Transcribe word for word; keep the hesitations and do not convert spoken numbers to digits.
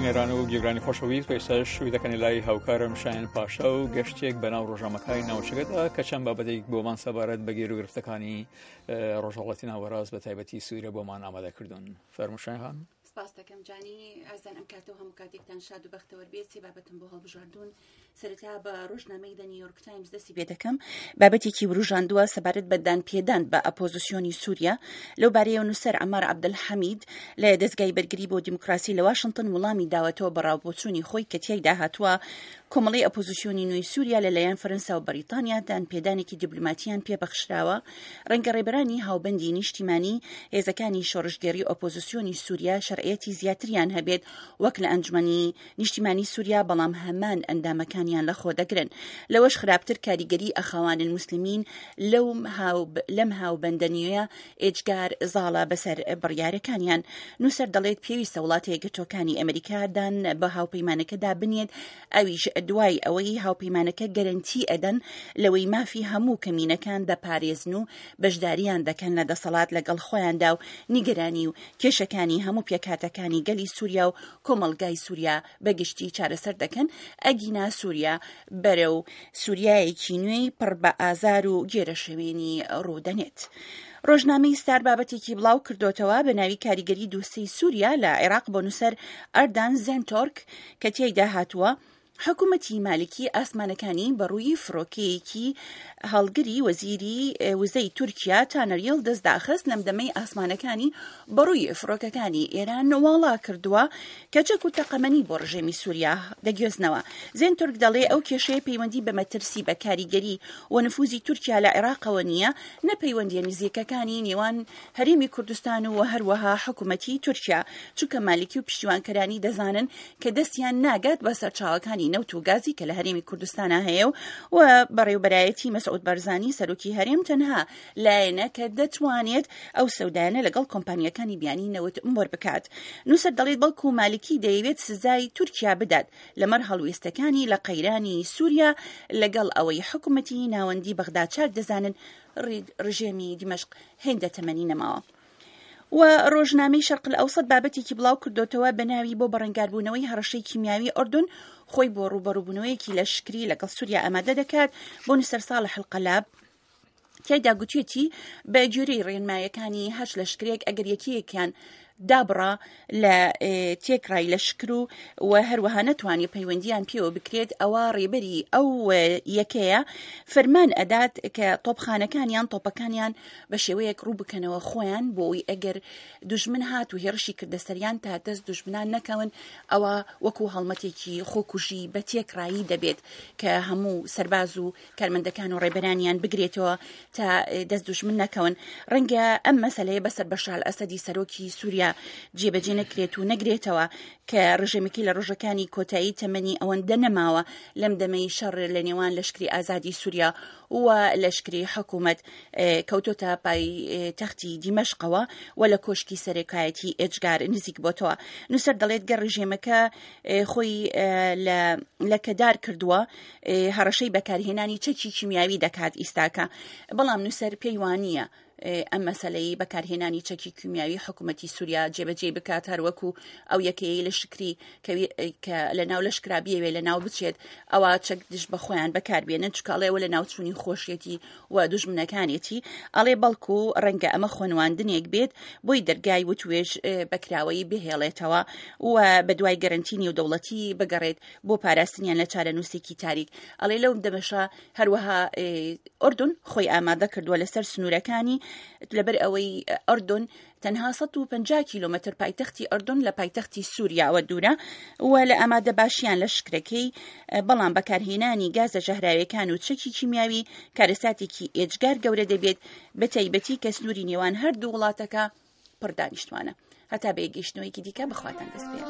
بینەران و گوێگرانی خۆشەویست، ئێستاش شووی دەکەنە لای هاوکارم شایان پاشا و گەشتێک بەناو ڕۆژنامەکانی ناوچەکەدا کە چەند بابەتێک بۆمان سەبارەت بە گیروگرفتەکانی ڕۆژهەڵاتی ناوەڕاست بە تایبەتی سووریا بۆمان ئامادە کردوون. فەرموو شایان خان. سپاس دەکەم جانی ئازان، ئەم کاتە و هەموو کاتێکتان شاد و بەختەوەر بێت. سێ بابەتم بۆ هەڵبژاردوون. سەرەتا بە ڕۆژنامەی دە نیویۆرک تایمز دەستی پێ دەکەم. بابەتێکی وروژاندووە سەبارەت بە دانپێدان بە ئەپۆزیسیۆنی سووریا. لەو بارەیەوە نووسەر عەمار عەبدولحەمید لە دەزگای بەرگری بۆ دیموکراسی لە واشنتن وڵامی داوەتەوە بە ڕاوبۆچوونی خۆی کە تیایدا هاتووە کۆمەڵەی ئەپۆزیسیۆنی نوێی سووریا لەلایەن فەرەنسا و بەریتانیا دانپێدانێکی دیبلۆماتیان پێبەخشراوە. ڕەنگە ڕێبەرانی هاوبەندی نیشتیمانی هێزەکانی شۆڕشگێڕی ئۆپۆزیسیۆنی سووریا شەرعیەتی زیاتریان هەبێت وەک لە ئەنجومەنی نیشتیمانی سووریا، بەڵام هەمان ئەندامەکانیان لەخۆ دەگرن. لەوەش خراپتر کاریگەری ئەخاوان المسلمین لەم هاوبەندە نوێیە ئێجگار زاڵە بەسەر بڕیارەکانیان. نووسەر دەڵێت پێویستە وڵاتە یەکگرتووەکانی ئەمریکا دان بە هاوپەیمانەکەدا بنێت، ئەویش دوای ئەوەی هاوپەیمانەکە گەرەنتی ئەدەن لەوەی مافی هەموو کەمینەکان دەپارێزن و بەشداریان دەکەن لە دەسەڵات لەگەڵ خۆیاندا و نیگەرانی و کێشەکانی هەموو پێکهاتەکانی گەلی سووریا و کۆمەڵگای سووریا بەگشتی چارەسەر دەکەن، ئەگینا سووریا بەرەو سووریایەکی نوێی پڕ بە ئازار و گێرەشەوێنی ڕوودەنێت. ڕۆژنامەی ستار بابەتێکی بڵاو کردوتەوە بە ناوی کاریگەری دووسەی سووریا لە عێراق بۆ نووسەر ئەردان زێنتۆرک کە تیایدا هاتووە حکوومەتی مالکی ئاسمانەکانی بەڕووی فڕۆکەیەکی هەڵگری وەزیری وزەی تورکیا تانەر یڵدز داخست لەم دەمەی ئاسمانەکانی بەڕووی فڕۆکەکانی ئێران واڵا کردووە کە چەک و تەقەمەنی بۆ ڕژێمی سووریا دەگوێزنەوە. زێن تورک دەڵێ ئەو کێشەیە پەیوەندی بە مەترسی بە کاریگەری و نفوزی تورکیا لە عێراقەوە نییە، نە پەیوەندیە نزیکەکانی نێوان هەرێمی کوردستان و هەروەها حکوومەتی تورکیا، چونکە مالکی و پشتیوانکەرانی دەزانن کە دەستیان ناگات بە سەرچاوەکانی نەوت و گازی کە لە هەرێمی کوردستانە هەیە و بەڕێوبەرایەتی مەسعود بەرزانی سەرۆکی هەرێم تەنها لایەنە کە دەتوانێت ئەو سەودایانە لەگەڵ کۆمپانیەکانی بیانی نەوت مۆر بکات. نووسەر دەڵێت بەڵکو مالکی دەیەوێت سزای تورکیا بدات لەمەڕ هەڵوێستەکانی لە قەیرانی سووریا، لەگەڵ ئەوەی حکوومەتی ناوەندی بەغدا چاک دەزانن ڕژێمی دیمەشق هێندە تەمەنی نەماوە. و ڕۆژنامەی شەرق الئەوسەط بابەتێکی بڵاو کردوتەوە بە ناوی بۆ بەڕەنگاربوونەوەی هەڕەشەی کیمیاوی ئەردەن خۆی بۆ ڕووبەڕووبوونەوەیەکی لەشکری لەگەڵ سووریا ئامادە دەکات. بۆ نووسەر ساڵح القەلاب تیایدا گوتیەتی بە گوێرەی ڕێنمایەکانی هەشت لەشکرێک ئەگەر یەکەیەکیان دابڕا لە تێکڕای لەشکر و و هەروەها نەتوانێت پەیوەندیان پێوە بکرێت، ئەوە ڕێبەری ئەو یەکەیە فەرمان ئەدات کە تۆپخانەکانیان تۆپەکانیان بە شێوەیەک ڕوو بکەنەوە خۆیان بۆ ئەوەی ئەگەر دوژمن هات و هێڕشی کردە سەریان تا دەست دوژمنان نەکەون، ئەوە وەکو هەڵمەتێکی خۆکوژی بە تێکڕایی دەبێت کە هەموو سەرباز و کارمەندەکان و ڕێبەرانیان بگرێتەوە تا دەست دوژمن نەکەون. ڕەنگە ئەم مەسەلەیە بەسەر بەشار ئەسەدی سەرۆکی سووریا جێبەجێ نەکرێت و نەگرێتەوە کە ڕژێمەکەی لە ڕۆژەکانی کۆتایی تەمەنی ئەوەندە نەماوە لەم دەمەی شەڕ لە نێوان لەشکری ئازادی سووریا و لەشکری حکوومەت کەوتۆتە پای تەختی دیمەشقەوە و لە کۆشکی سەرەکایەتی ئێجگار نزیک بۆتەوە. نووسەر دەڵێت گەر ڕژێمەکە خۆی لە کەدار کردووە هەڕەشەی بەکارهێنانی چەکی کیمیاوی دەکات ئیستاکە، بەڵام نووسەر پێی وانییە ئەم مەسلەی بەکارهێنانی چەکی کیمیاوی حکوومەتی سووریا جێبەجێ بکات، هەروەکو ئەو یەکەیەی لەشکری کە لە ناو لەشکرا بیەوێ لە ناو بچێت ئەوە چەک دژ بە خۆیان بەکاربێنن، چونکە ئەڵێ لە ناوچوونی خۆشیەتی و دوژمنەکانێتی. ئەڵێ بەڵکو ڕەنگە ئەمە خۆنواندنێک بێت بۆی دەرگای وتوێژ بەکراوەیی بهێڵێتەوە و بە دوای گەرەنتی نێودەوڵەتی بگەڕێت بۆ پاراستنیان لە چارەنووسێکی تاریک. ئەڵێ لەو دەمەشا هەروەها ئەردەن خۆی ئامادە کردووە لەسەر سنوورەکانی، لەبەر ئەوەی ئەردەن تەنها سەد و پەنجا کیلۆمەتر پایتەختی ئەردەن لە پایتەختی سووریاوە دوورە و لە ئامادە باشیان لە شکرەکەی، بەڵام بەکارهێنانی گازە ژەهراویەکان و چەکی کیمیاوی کارەساتێکی ئێجگار گەورە دەبێت، بە تایبەتی کە سنووری نێوان هەردوو وڵاتەکە پڕدانیشتوانە. هەتا بەیەکگەیشتنەوەیەکی دیکە بەخواتان دەست پێ.